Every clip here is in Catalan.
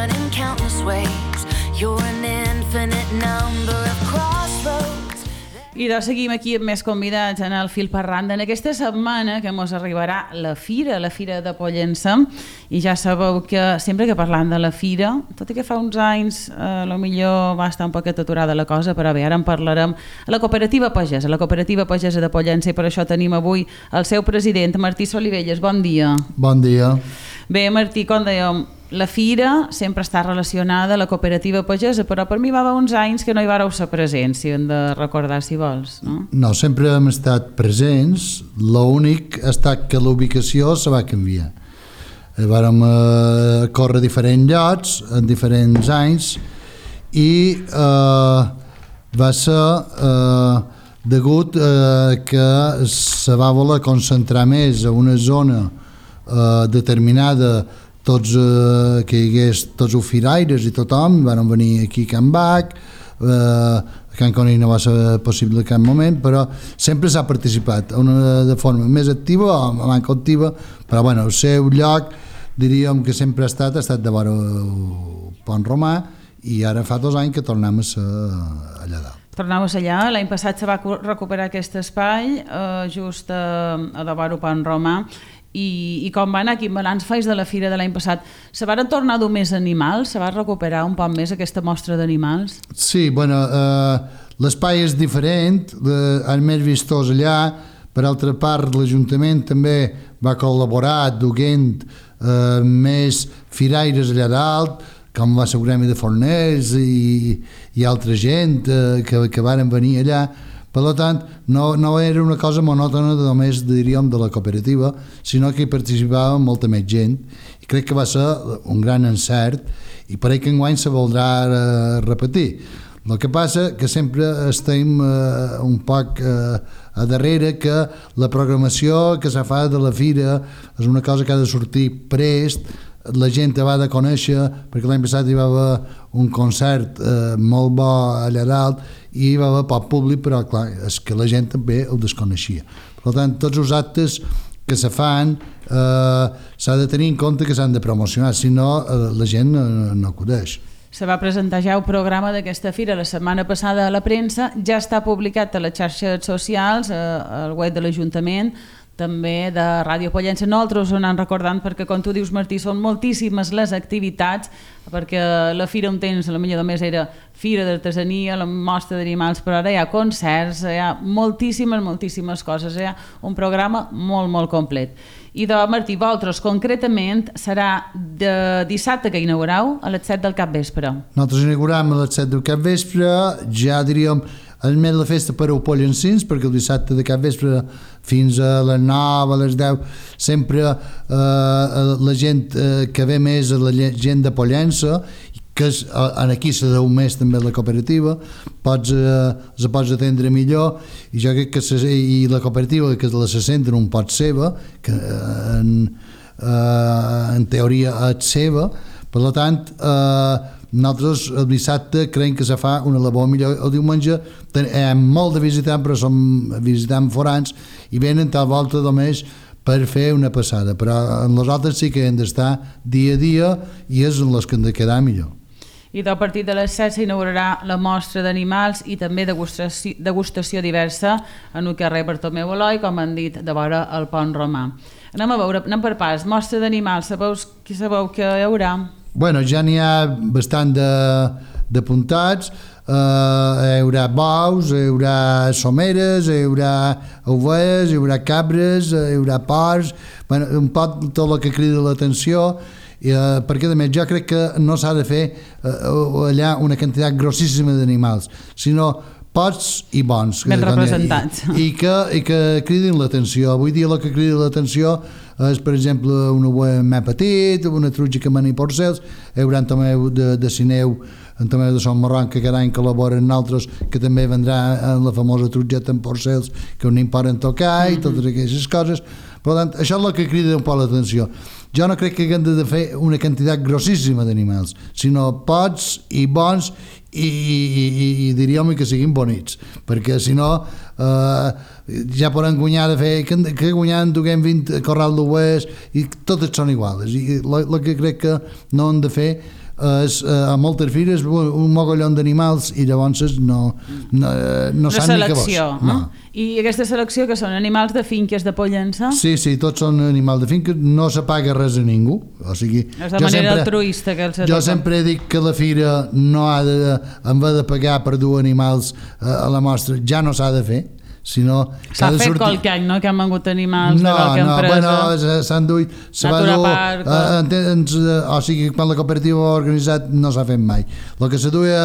run in countless ways. You're an infinite number of crossroads. I doncs seguim aquí amb més convidats en el Fil per Randa. En aquesta setmana que mos arribarà la Fira de Pollença, i ja sabeu que sempre que parlam de la Fira, tot i que fa uns anys potser va estar un poquet aturada la cosa, però bé, ara en parlarem a la Cooperativa Pagesa de Pollença, i per això tenim avui el seu president, Martí Solivelles. Bon dia. Bon dia. Bé, Martí, com dèiem, la Fira sempre està relacionada a la Cooperativa Pagesa, però per mi va haver uns anys que no hi vareu ser presents, si hem de recordar, si vols, no? No, sempre hem estat presents, l'únic ha estat que la ubicació se va canviar. Vàrem córrer a diferents llocs en diferents anys i va ser degut que se va voler concentrar més a una zona determinada, que hi hagués tots els firaires i tothom, van venir aquí a Can Bac, a Can Conill no va ser possible en cap moment, però sempre s'ha participat de forma més activa o manca activa, però bueno, el seu lloc diríem que sempre ha estat de vora el Pont Romà, i ara fa 2 anys que tornem a ser allà dalt. Tornau a ser allà, l'any passat se va recuperar aquest espai just a davant el Pont Romà. I com va anar, quin balanç fais de la fira de l'any passat? Se van tornar a dur més animals? Se va recuperar un poc més aquesta mostra d'animals? Sí, bueno, l'espai és diferent, és més vistós allà. Per altra part, l'Ajuntament també va col·laborar duent més firaires allà dalt, com va ser el Gremi de Forners i altra gent que varen venir allà. Per tant, no era una cosa monòtona només, diríem, de la cooperativa, sinó que hi participava molta més gent, i crec que va ser un gran encert, i per que enguany se voldrà repetir. El que passa que sempre estem un poc a darrere, que la programació que se fa de la fira és una cosa que ha de sortir prest, la gent va de conèixer, perquè l'any passat hi va haver un concert molt bo allà dalt i hi va haver poc públic, però clar, és que la gent també el desconeixia. Per tant, tots els actes que se fan s'ha de tenir en compte que s'han de promocionar, si no la gent no acudeix. Se va presentar ja el programa d'aquesta fira la setmana passada a la premsa, ja està publicat a les xarxes socials, al web de l'Ajuntament, també de Ràdio Pollença. Nosaltres ho anem recordant perquè, com tu dius, Martí, són moltíssimes les activitats, perquè la fira un temps potser només era fira d'artesania, la mostra d'animals, però ara hi ha concerts, hi ha moltíssimes coses, hi ha un programa molt complet. I de Martí, vosaltres concretament serà de dissabte que inaugureu a les 7 del capvespre. Nosaltres inaugurem a les 7 del capvespre, ja diríem és més la festa per als pollencins, perquè el dissabte de capvespre fins a les 9, a les 10, sempre la gent que ve més és la gent de Pollença, que aquí se deu més també la cooperativa, se pots atendre millor, i jo crec que i la cooperativa que se senten un pot seva, que en teoria és seva, per tant nosaltres el dissabte creiem que se fa una labor millor. El diumenge hem molt de visitants, però som visitants forans i venen tal volta només per fer una passada, però en les altres sí que hem d'estar dia a dia i és en les que hem de quedar millor. I a partir de les 7 s'inaugurarà la mostra d'animals i també degustació diversa en el carrer Bartomeu Eloi, com han dit, de vora el Pont Romà. Anem per parts. Mostra d'animals, sabeu que hi haurà? Bueno, ja n'hi ha bastant d'apuntats, hi haurà bous, hi haurà someres, hi haurà ovelles, hi haurà cabres, hi haurà porcs, bueno, un poc tot el que crida l'atenció, perquè a més jo crec que no s'ha de fer allà una quantitat grossíssima d'animals, sinó pocs i bons. Ben representats. I que cridin l'atenció. Avui dia el que crida l'atenció és, per exemple, un ovella més petit, una truja que mani porcels, hi haurà un tomeu de Sineu, un tomeu de Son Marron, que cada any col·labora amb nosaltres, que també vendrà en la famosa trujeta amb porcels, que un poden tocar i totes aquestes coses. Per tant, això és el que crida un poc l'atenció. Jo no crec que haguem de fer una quantitat grossíssima d'animals, sinó pocs i bons i diríem que siguin bonics, perquè si no ja poden guanyar de fer que guanyant duguem 20 corral d'ovelles i totes són iguals, i el que crec que no hem de fer a moltes fires un mogollon d'animals i llavors no saben ni què vols. No. I aquesta selecció que són animals de finques de Pollença? Sí, tots són animals de finques, no se paga res a ningú. O sigui, és de manera altruista que els jo sempre dic que la fira no ha de, en vez de pagar per dur animals a la mostra, ja no s'ha de fer. S'ha fet qualque any, no?, que han vengut animals de qualque empresa. S'han duit, o sigui, quan la cooperativa ha organitzat no s'ha fet mai. El que se duia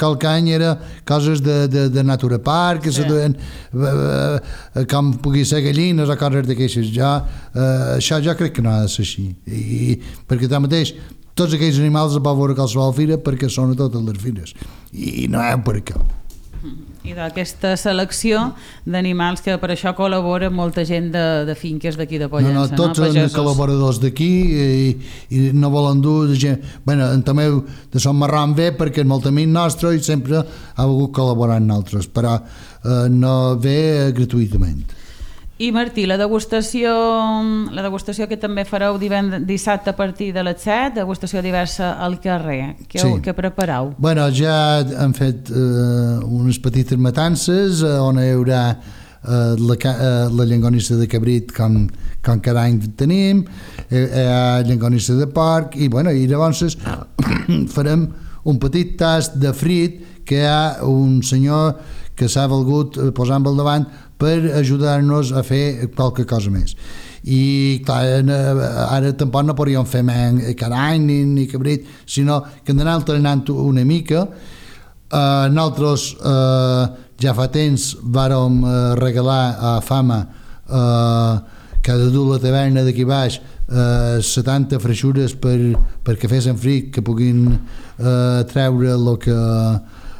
qualque any era coses de Natura Park, que se duien com pugui ser gallines o coses d'aquestes. Això jo crec que no ha de ser així, perquè tanmateix tots aquells animals es poden veure a qualsevol fira perquè són a totes les fires i no hi ha per què. I d'aquesta selecció d'animals que per això col·labora molta gent de finques d'aquí de Pollença. Tots són col·laboradors d'aquí i no volen dur gent. En Tomeu de Son Marrón ve perquè és molt amic nostre i sempre ha volgut col·laborar amb nosaltres, però no ve gratuïtament. I Martí, la degustació que també fareu dissabte a partir de les 7, degustació diversa al carrer. Què prepareu? Ja hem fet unes petites matances on hi haurà la llangonissa de cabrit com cada any tenim, llangonissa de porc i llavors farem un petit tast de frit que hi ha un senyor que s'ha volgut posar al davant per ajudar-nos a fer qualque cosa més. I clar, ara tampoc no podríem fer cada any ni cabrit, sinó que hem d'anar alternant una mica. Nosaltres ja fa temps vàrem regalar a Fama que ha de dur la taverna d'aquí baix 70 freixures perquè fessin frit, que puguin treure el que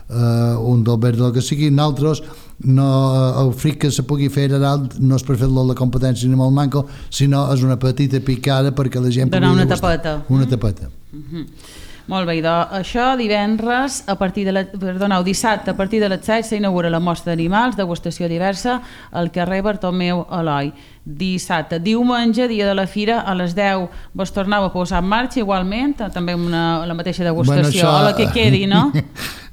un del verd o que sigui. Nosaltres el frit que se pugui fer a dalt no és per fer-lo la competència ni molt manco, sinó és una petita picada perquè la gent pugui degustar. Una tapeta. Molt bé, això dissabte a partir de les 7 s'inaugura la mostra d'animals, degustació diversa al carrer Bartomeu Eloi. Dissabte. Diumenge, dia de la fira, a les 10 vos torneu a posar en marxa igualment, també amb la mateixa degustació, o la que quedi, no?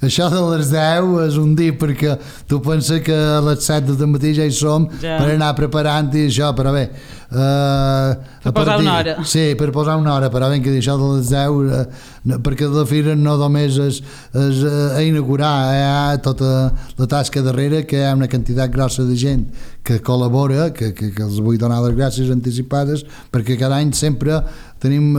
Això de les 10 és un dia perquè tu penses que a les 7 del matí ja hi som per anar preparant i això, però bé, per posar una hora. Sí, per posar una hora, però ben que això de les 10 perquè la fira no només és a inaugurar, hi ha tota la tasca darrere, que hi ha una quantitat grossa de gent que col·labora, que els vull donar les gràcies anticipades, perquè cada any sempre tenim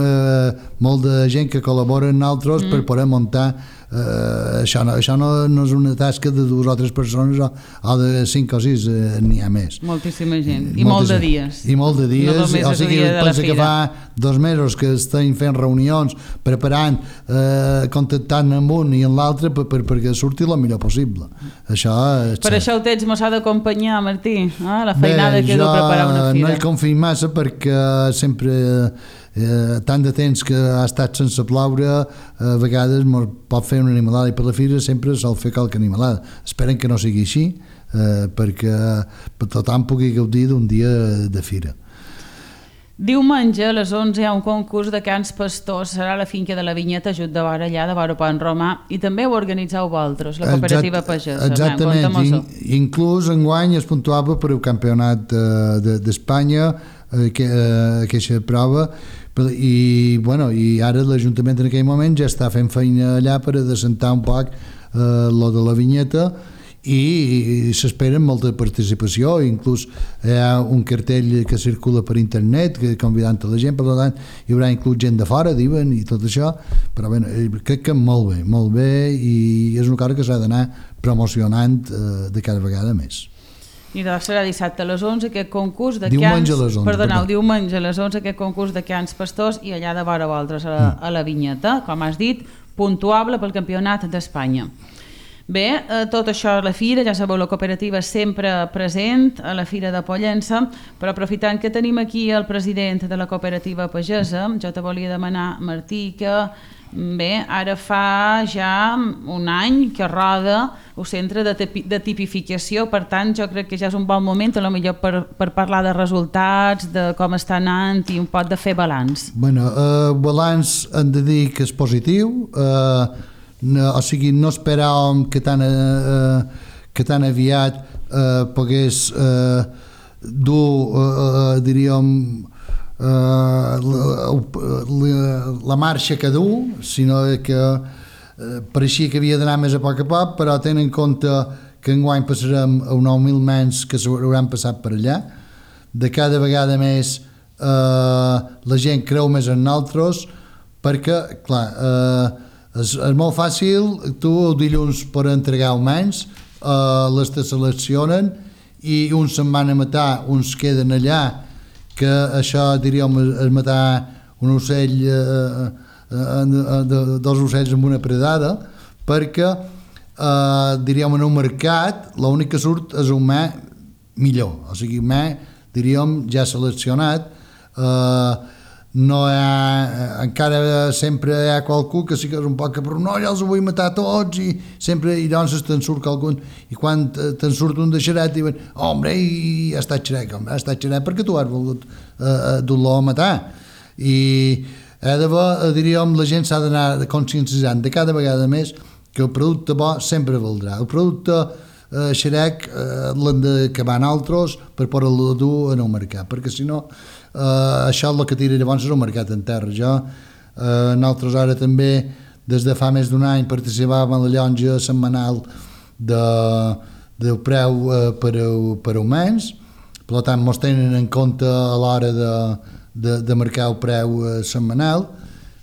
molt de gent que col·labora amb nosaltres per poder muntar. Això no és una tasca de 2 o 3 persones o de 5 o 6, n'hi ha més. Moltíssima gent, i molt de dies. I molt de dies, o sigui, pensa que fa 2 mesos que estem fent reunions, preparant, contactant amb un i amb l'altre perquè surti el millor possible. Per això el temps mos ha d'acompanyar, Martí, la feinada que deu preparar una fira. No hi confio massa perquè sempre tant de temps que ha estat sense ploure, a vegades pot fer una animalada i per la fira sempre sol fer qualque animalada. Esperen que no sigui així perquè tothom pugui gaudir d'un dia de fira. Diumenge a les 11 hi ha un concurs de cants pastors, serà a la finca de la Vinyeta, just de vora allà, de vora Pont Romà, i també ho organitzeu vosaltres, la cooperativa pagesa. Exactament, inclús enguany es puntuava per el campionat d'Espanya, aquesta prova, i ara l'Ajuntament en aquell moment ja està fent feina allà per adescentar un poc lo de la vinyeta i s'espera molta participació, inclús hi ha un cartell que circula per internet convidant a la gent, per tant hi haurà inclús gent de fora, diuen, i tot això, però bé, crec que molt bé, i és una cosa que s'ha d'anar promocionant de cada vegada més. I serà dissabte a les 11 aquest concurs de diumenge a les 11, diumenge a les 11 aquest concurs de cants pastors i allà de vora vosaltres a la Vinyeta, com has dit, puntuable pel Campionat d'Espanya. Bé, tot això a la fira, ja sabeu, la cooperativa sempre present a la Fira de Pollença, però aprofitant que tenim aquí el president de la cooperativa pagesa, jo te volia demanar, Martí, que Bé, ara fa ja un any que roda el centre de tipificació, per tant jo crec que ja és un bon moment potser per parlar de resultats, de com està anant i un poc de fer balanç. Bueno, balanç hem de dir que és positiu, o sigui, no esperàvem que tan aviat pogués dur, diríem, la marxa que du, sinó que pareixia que havia d'anar més a poc, però tenint en compte que enguany passarem a 9.000 nens que s'hauran passat per allà, de cada vegada més la gent creu més en nosaltres, perquè, clar, és molt fàcil, tu el dilluns per entregar humans, les te seleccionen i uns se'n van a matar, uns queden allà, que això, diríem, és matar un ocell, dos ocells amb una predada, perquè, diríem, en un mercat l'únic que surt és un humà millor, o sigui, humà, diríem, ja seleccionat, no hi ha, encara sempre hi ha qualcú que sí que és un poc que però no, ja els vull matar tots i sempre, i doncs te'n surt qualcun i quan te'n surt un de xeret diuen, hombre, i ha estat xeret perquè tu has volgut dur-lo a matar i diríem, la gent s'ha d'anar conscienciant de cada vegada més que el producte bo sempre valdrà, el producte xerec l'hem d'acabar nosaltres per poder-lo dur en el mercat, perquè si no això és el que tira llavors és el mercat en terra. Nosaltres ara també des de fa més d'un any participàvem en la llonja setmanal del preu per humans, per tant mos tenen en compte a l'hora de marcar el preu setmanal.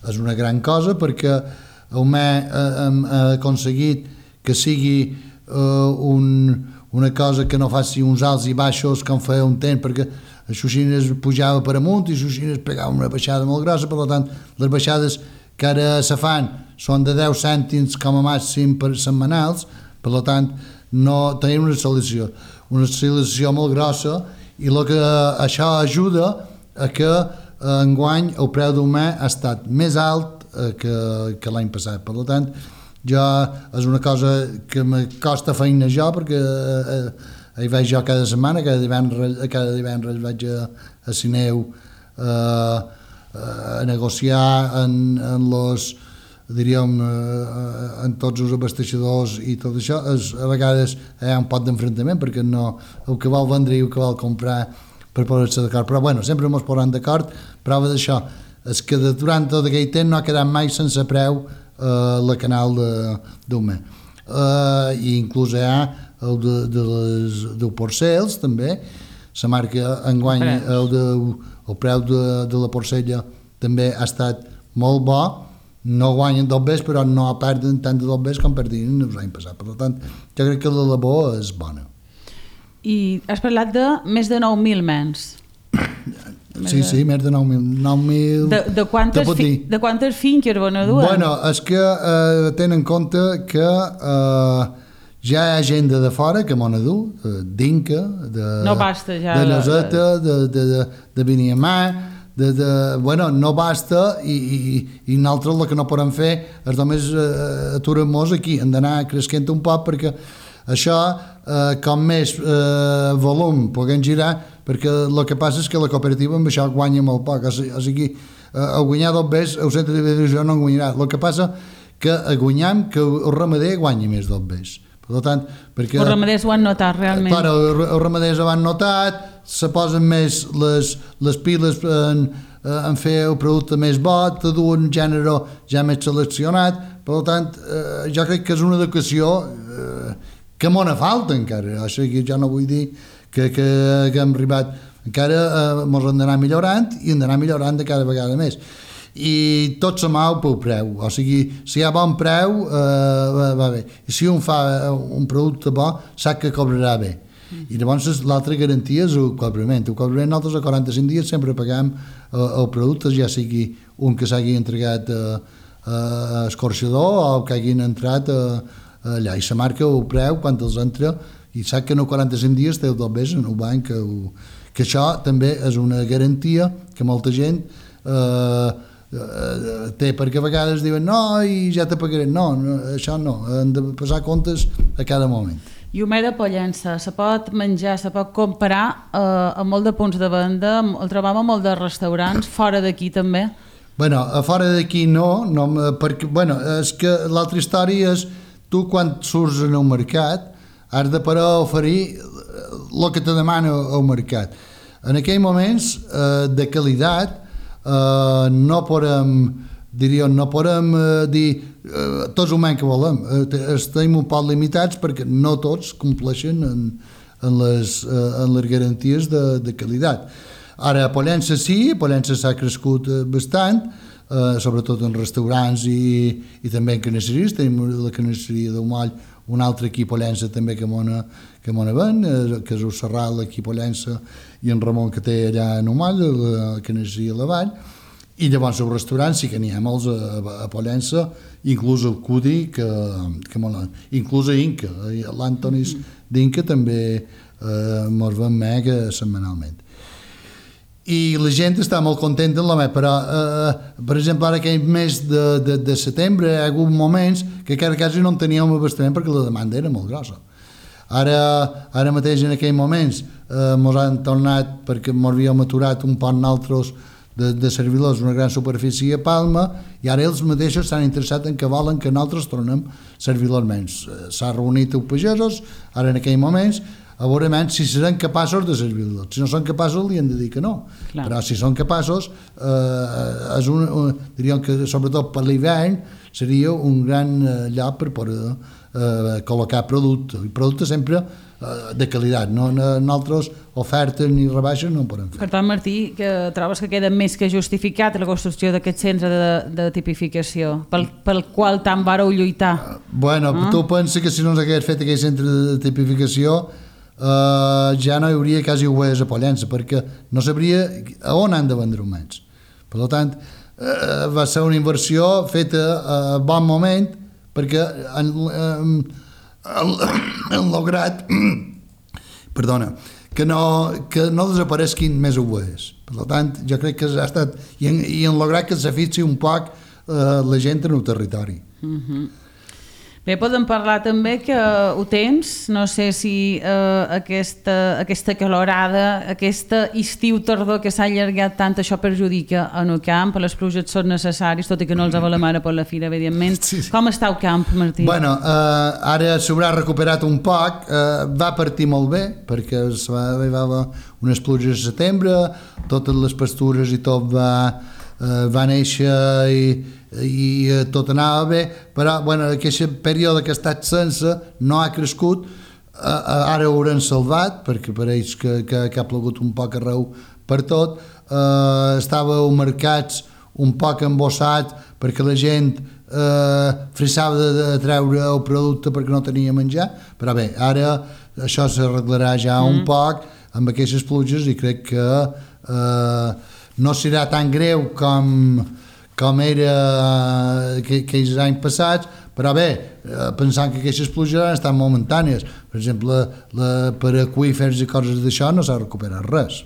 És una gran cosa perquè humà hem aconseguit que sigui una cosa que no faci uns alts i baixos com feia un temps, perquè a Xuxines pujava per amunt i a Xuxines pegava una baixada molt grossa, per tant les baixades que ara se fan són de 10 cèntims com a màxim per setmanals, per tant no tenim una oscil·lació molt grossa i que això ajuda a que enguany el preu d'humà ha estat més alt que l'any passat, per tant és una cosa que me costa feina jo perquè hi vaig jo cada setmana, cada divendres vaig a Sineu a negociar en tots els abasteixadors i tot això. A vegades hi ha un pot d'enfrontament perquè no, el que vol vendre i el que vol comprar per posar-se d'acord, però bueno, sempre ens posem d'acord. Prova d'això és que durant tot aquell temps no ha quedat mai sense preu la canal d'humà i inclús hi ha el del porcels també, la marca enguany el preu de la porcella també ha estat molt bo, no guanyen dos bes però no perden tant de dos bes com perdien l'any passat, per tant jo crec que la labor és bona. I has parlat de més de 9.000 nens. Sí, més de 9.000. De quantes finques van a dur? Bueno, és que tenen en compte que ja hi ha gent de fora que m'ho ha dur, d'Inca, no basta ja de Lloseta, de Beniamà, bueno, no basta i nosaltres el que no podem fer és només aturar-nos aquí, hem d'anar creixent un poc perquè això, com més volum puguem girar, perquè el que passa és que la cooperativa amb això guanya molt poc, o sigui, a guanyar dos bes el centre de divisió no en guanyarà, el que passa que guanyam que el ramader guanya més dos bes. Per tant, perquè els ramaders ho han notat realment. Clar, els ramaders ho han notat, se posen més les piles en fer el producte més bo, te duen un gènere ja més seleccionat, per tant, jo crec que és una educació que m'ho falta encara, o sigui, jo no vull dir que hem arribat, encara ens hem d'anar millorant i hem d'anar millorant de cada vegada més. I tot se mou pel preu, o sigui, si hi ha bon preu va bé, i si un fa un producte bo sap que cobrarà bé, i llavors l'altra garantia és el cobrament. Nosaltres a 45 dies sempre paguem el producte, ja sigui un que s'hagi entregat a escorxador o que hagin entrat allà, i se marca el preu quan els entra i sap que en 45 dies té el dos bes en el banc, que això també és una garantia que molta gent té, perquè a vegades diuen no, i ja te pagaré. No, això no, han de passar comptes a cada moment. I humer de Pollença, se pot menjar, se pot comprar a molt de punts de venda, el trobam a molt de restaurants, fora d'aquí també? Bueno, a fora d'aquí no, perquè, bueno, és que l'altra història és tu quan surts en el mercat has de parar a oferir el que te demana el mercat. En aquells moments de qualitat no podem dir tots ho que volem. Estem un poc limitats perquè no tots compleixen en les garanties de qualitat. Ara a Pollença sí, a Pollença s'ha crescut bastant, sobretot en restaurants i també en carnisseries. Tenim la carnisseria del Moll, un altre aquí a Pollença també que m'ho ven, que és el Serral aquí a Pollença, i en Ramon que té allà en el Moll, la carnisseria a la Vall. I llavors els restaurants sí que n'hi ha molts a Pollença, inclús el Cudi, inclús a Inca, l'Antonis d'Inca també mos ven mega setmanalment. I la gent està molt contenta amb la meva, però per exemple ara aquell mes de setembre hi ha hagut moments que quasi no en teníem abastament perquè la demanda era molt grossa. Ara mateix en aquells moments mos han tornat, perquè mos havíem aturat un poc nosaltres de servidors una gran superfície a Palma, i ara ells mateixos s'han interessat en que volen que nosaltres tornem servidors menys. S'ha reunit els pagesos ara en aquells moments a veure si seran capaços de servir-los. Si no són capaços, li han de dir que no. Clar. Però si són capaços, diríem que sobretot per l'hivern seria un gran lloc per poder col·locar producte. I producte sempre de qualitat. Nosaltres ofertes ni rebaixes no en podem fer. Per tant, Martí, que trobes que queda més que justificat la construcció d'aquest centre de tipificació pel qual tant vareu lluitar? Bueno, tu pensa que si no s'hagués fet aquell centre de tipificació ja no hi hauria quasi ovelles a Pollença, perquè no sabria a on han de vendre humans. Per tant, va ser una inversió feta a bon moment, perquè han lograt que no desaparesquin més ovelles. Per tant, jo crec que ha estat i han lograt que s'afixi un poc la gent en el territori. Bé, podem parlar també que ho tens, no sé si aquesta calorada, aquesta estiu-tardor que s'ha allargat tant, això perjudica en el camp, les pluges són necessàries, tot i que no els avalem ara per la fira, evidentment. Sí. Com està el camp, Martí? Bueno, ara s'haurà recuperat un poc, va partir molt bé, perquè arribava unes pluges a setembre, totes les pastures i tot va néixer i tot anava bé, però bueno, aquest període que ha estat sense no ha crescut, ara ho hauran salvat perquè pareix que ha plogut un poc arreu per tot, estàveu mercats un poc embossat perquè la gent frissava de treure el producte perquè no tenia menjar, però bé, ara això s'arreglarà ja un poc amb aquestes pluges i crec que no serà tan greu com era aquells anys passats, però bé, pensant que aquestes pluges han estat momentànies. Per exemple, per aqüífers i coses d'això no s'ha recuperat res.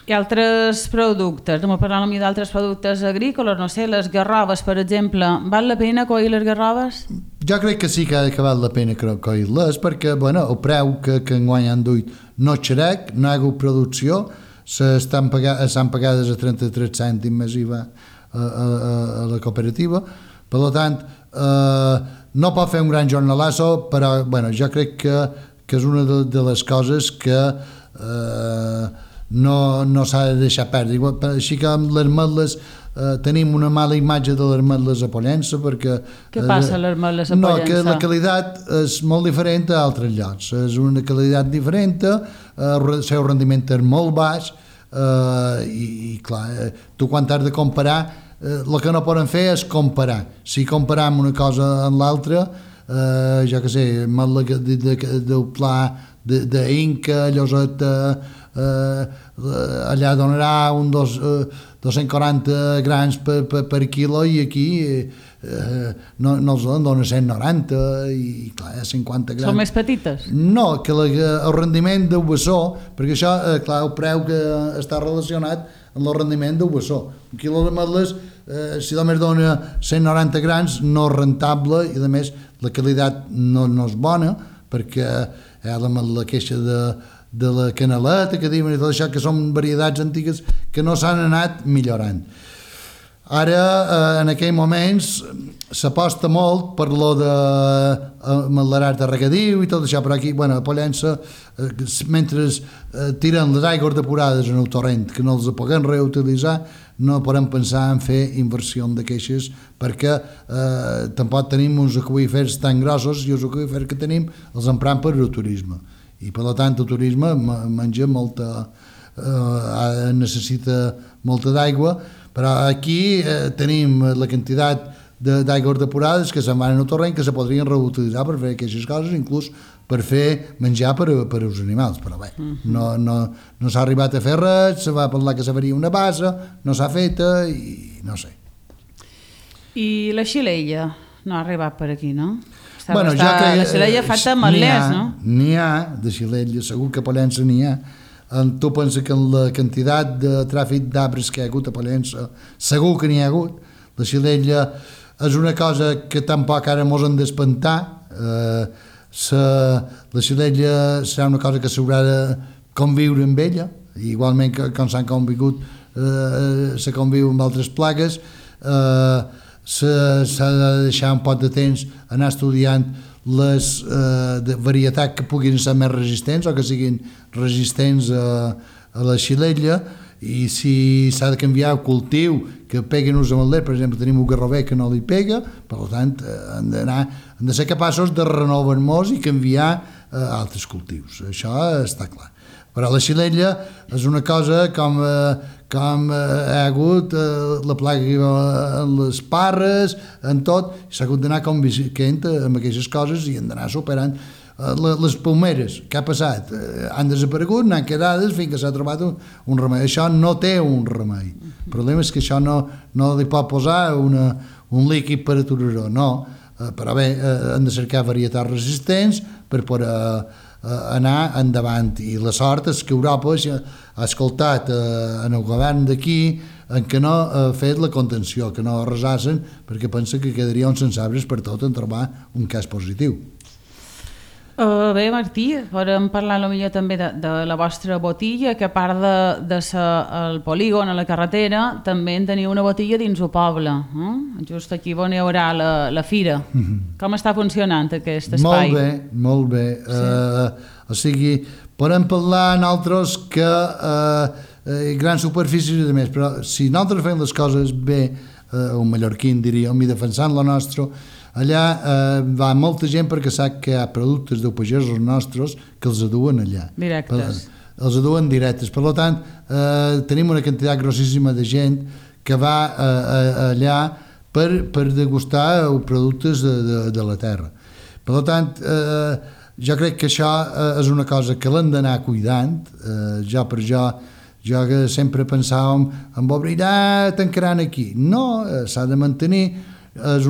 I altres productes, no parlant a mi d'altres productes agrícoles, no sé, les garroves, per exemple, val la pena coir les garroves? Jo crec que sí que val la pena coir-les, perquè bueno, el preu que enguany han duit no és xerec, no hi ha hagut producció, s'han pagades a 33 cèntims més IVA a la cooperativa, per tant no pot fer un gran jornalazo, però bueno, jo crec que és una de les coses que no s'ha de deixar perdre. Així que amb les ametles tenim una mala imatge de les ametles a Pollença, perquè què passa a les ametles a Pollença? No, que la qualitat és molt diferent a altres llocs, és una qualitat diferent, el seu rendiment és molt baix, i clar, tu quan has de comparar, el que no poden fer és comparar. Si comparam una cosa amb l'altra, jo què sé, del pla d'Inca, Lloseta, allà donarà un 240 grams per quilo, i aquí no els dona 190 i clar, 50 grams. Són més petites? No, que el rendiment del bessó, perquè això, clar, el preu que està relacionat en el rendiment del bessó. Un quilo d'ametlles, si només dona 190 grams, no és rentable i a més la qualitat no és bona, perquè hi ha la queixa de la canaleta que diuen i tot això, que són varietats antigues que no s'han anat millorant. Ara, en aquells moments, s'aposta molt per lo de l'arat de regadiu i tot això, però aquí, a Pollença, mentre tiren les aigües depurades en el torrent, que no els puguem reutilitzar, no podem pensar en fer inversió de queixes, perquè tampoc tenim uns aqüífers tan grossos i els aqüífers que tenim els empram per el turisme. I per tant el turisme menja molta, necessita molta d'aigua, però aquí tenim la quantitat d'aigües depurades que se'n van en el torrent que se podrien reutilitzar per fer aquestes coses, inclús per fer menjar per als animals, però bé, no s'ha arribat a fer res, se va parlar que se faria una bassa, no s'ha feta i no sé. I la xilella no ha arribat per aquí, no? La xilella fata ametlers, no? N'hi ha, de xilella, segur que a Pollença n'hi ha. Tu penses que en la quantitat de tràfic d'arbres que hi ha hagut a Pollença segur que n'hi ha hagut. La xilella és una cosa que tampoc ara mos hem d'espantar. La xilella serà una cosa que s'haurà de conviure amb ella, igualment que com s'han convigut se conviu amb altres plagues. S'ha de deixar un poc de temps anar estudiant les varietats que puguin ser més resistents o que siguin resistents a la xilella, i si s'ha de canviar el cultiu que peguen els ametlers, per exemple tenim un garrover que no li pega, per tant hem de ser capaços de renovar-nos i canviar altres cultius, això està clar. Però la xilella és una cosa com ha hagut la plaga en les parres, en tot, s'ha hagut d'anar convivint amb aquestes coses i hem d'anar superant. Les palmeres, què ha passat? Han desaparegut, n'han quedades fins que s'ha trobat un remei. Això no té un remei. El problema és que això no li pot posar un líquid per aturar-ho, no. Però bé, hem de cercar varietats resistents per poder anar endavant, i la sort és que Europa ha escoltat en el govern d'aquí en què no ha fet la contenció, que no arrasassen, perquè pensa que quedaria sense arbres per tot en trobar un cas positiu. Bé, Martí, podem parlar potser també de la vostra botilla, que a part de ser el polígon a la carretera, també en teniu una botilla dins el poble, just aquí on hi haurà la fira. Com està funcionant aquest espai? Molt bé. O sigui, podem parlar nosaltres que grans superfícies i de més, però si nosaltres fem les coses bé, un mallorquí en diríem, i defensant la nostra, allà va molta gent perquè sap que hi ha productes de pagesos nostres que els aduen allà. Directes. Els aduen directes. Per tant, tenim una quantitat grossíssima de gent que va allà per degustar els productes de la terra. Per tant, jo crec que això és una cosa que l'hem d'anar cuidant. Jo que sempre pensàvem en obrir, tancaran aquí. No, s'ha de mantenir. És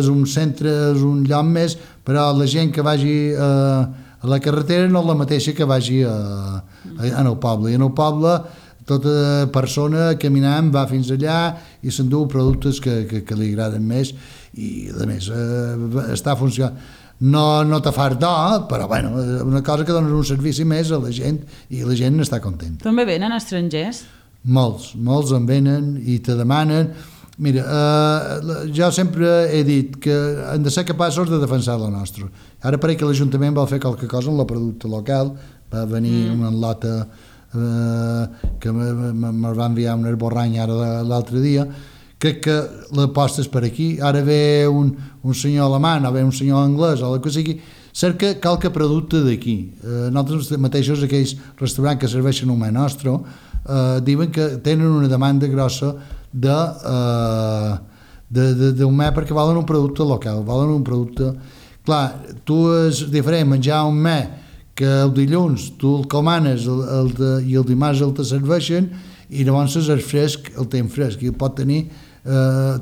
un centre, és un lloc més, però la gent que vagi a la carretera no és la mateixa que vagi en el poble. I en el poble tota persona caminant va fins allà i s'endú productes que li agraden més, i a més està funcionant. No te fas d'or, però bueno, una cosa que dona un servici més a la gent i la gent està contenta. També venen estrangers? Molts en venen i te demanen. Mira, jo sempre he dit que hem de ser capaços de defensar la nostra. Ara pareix que l'Ajuntament vol fer qualque cosa en la producte local. Va venir una lota que me va enviar un esborrany ara l'altre dia. Crec que l'aposta és per aquí. Ara ve un senyor alemany o ve un senyor anglès o el que sigui, cerca qualque producte d'aquí. Nosaltres mateixos, aquells restaurants que serveixen un men nostre, diuen que tenen una demanda grossa d'un me perquè volen un producte local, volen un producte. Clar, tu és diferent menjar un me que el dilluns tu el comanes i el dimarts el te serveixen, i llavors és fresc, el temps fresc, i el pot tenir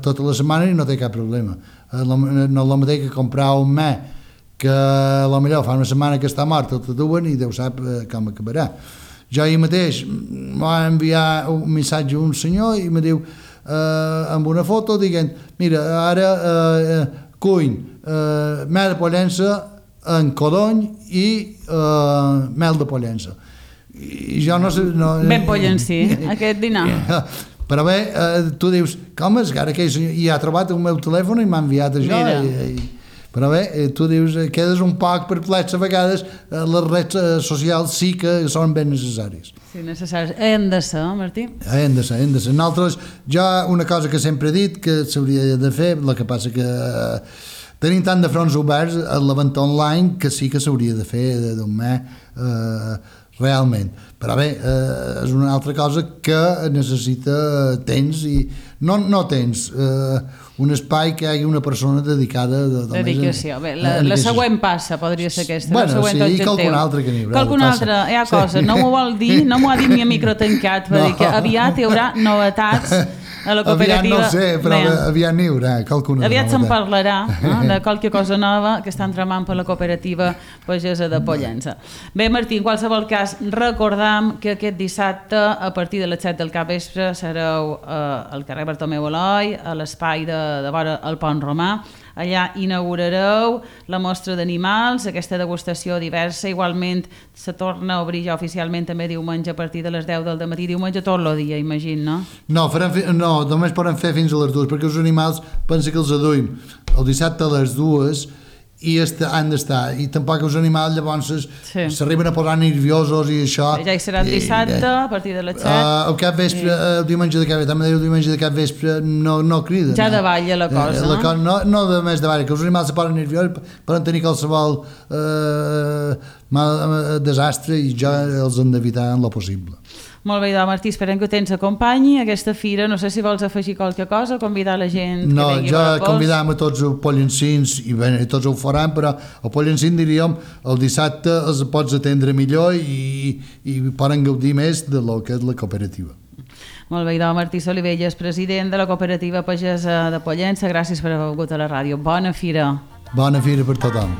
tota la setmana i no té cap problema. No és el mateix que comprar un me que potser fa una setmana que està mort, el te duen i Déu sap com acabarà. Jo ahir mateix va enviar un missatge a un senyor i me diu amb una foto dient, mira, ara cuiny mel de Pollença en codony i mel de Pollença. I jo no sé... Ben pollencí, aquest dinar. Però bé, tu dius, com és que ara aquell senyor i ha trobat el meu telèfon i m'ha enviat això. Però bé, tu dius, quedes un poc perplex a vegades, les redes socials sí que són ben necessàries. Sí, necessaris. Hem de ser, Martí? Hem de ser. Nosaltres, jo una cosa que sempre he dit que s'hauria de fer, el que passa que tenim tant de fronts oberts a la venda online que sí que s'hauria de fer d'un mes realment. Però bé, és una altra cosa que necessita temps i no temps, un espai que hi hagi una persona dedicada dedicació. Bé, la següent passa podria ser aquesta. Bueno, sí, i qualcun altre que n'hi haurà. Qualcun altre, hi ha coses. No m'ho vol dir, no m'ho ha dit ni a micro tancat, va dir que aviat hi haurà novetats a la cooperativa. Aviat no sé, però aviat n'hi haurà qualcuna. Aviat se'n parlarà de qualque cosa nova que estan tramant per la cooperativa pagesa de Pollença. Bé, Martí, en qualsevol cas, recordam que aquest dissabte, a partir de les 7 del capvespre, sereu al carrer Bartomeu Eloi, a l'espai de vora el Pont Romà. Allà inaugurareu la mostra d'animals, aquesta degustació diversa. Igualment se torna a obrir ja oficialment també diumenge a partir de les 10 del dematí. Diumenge tot el dia, imagino, no? No, només poden fer fins a les 2, perquè els animals pensa que els aduïm el dissabte a les 2 i han d'estar, i tampoc els animals llavors s'arriben a posar nerviosos i això. Ja hi serà el dissabte a partir de les 7. El capvespre, el diumenge de capvespre, també el diumenge de capvespre no criden. Ja davalla la cosa. No de més davalla, que els animals se posen nerviosos, poden tenir qualsevol desastre i ja els hem d'evitar en lo possible. Molt bé, Martí, esperem que tens acompanyi aquesta fira. No sé si vols afegir qualque cosa, convidar la gent que vengui a veure. Convidam a tots els pollencins, i bé, tots ho faran, però el pollencín, diríem, el dissabte els pots atendre millor i poden gaudir més de lo que és la cooperativa. Molt bé, Martí Solivelles, president de la cooperativa pagesa de Pollença, gràcies per haver vingut a la ràdio. Bona fira. Bona fira per tothom.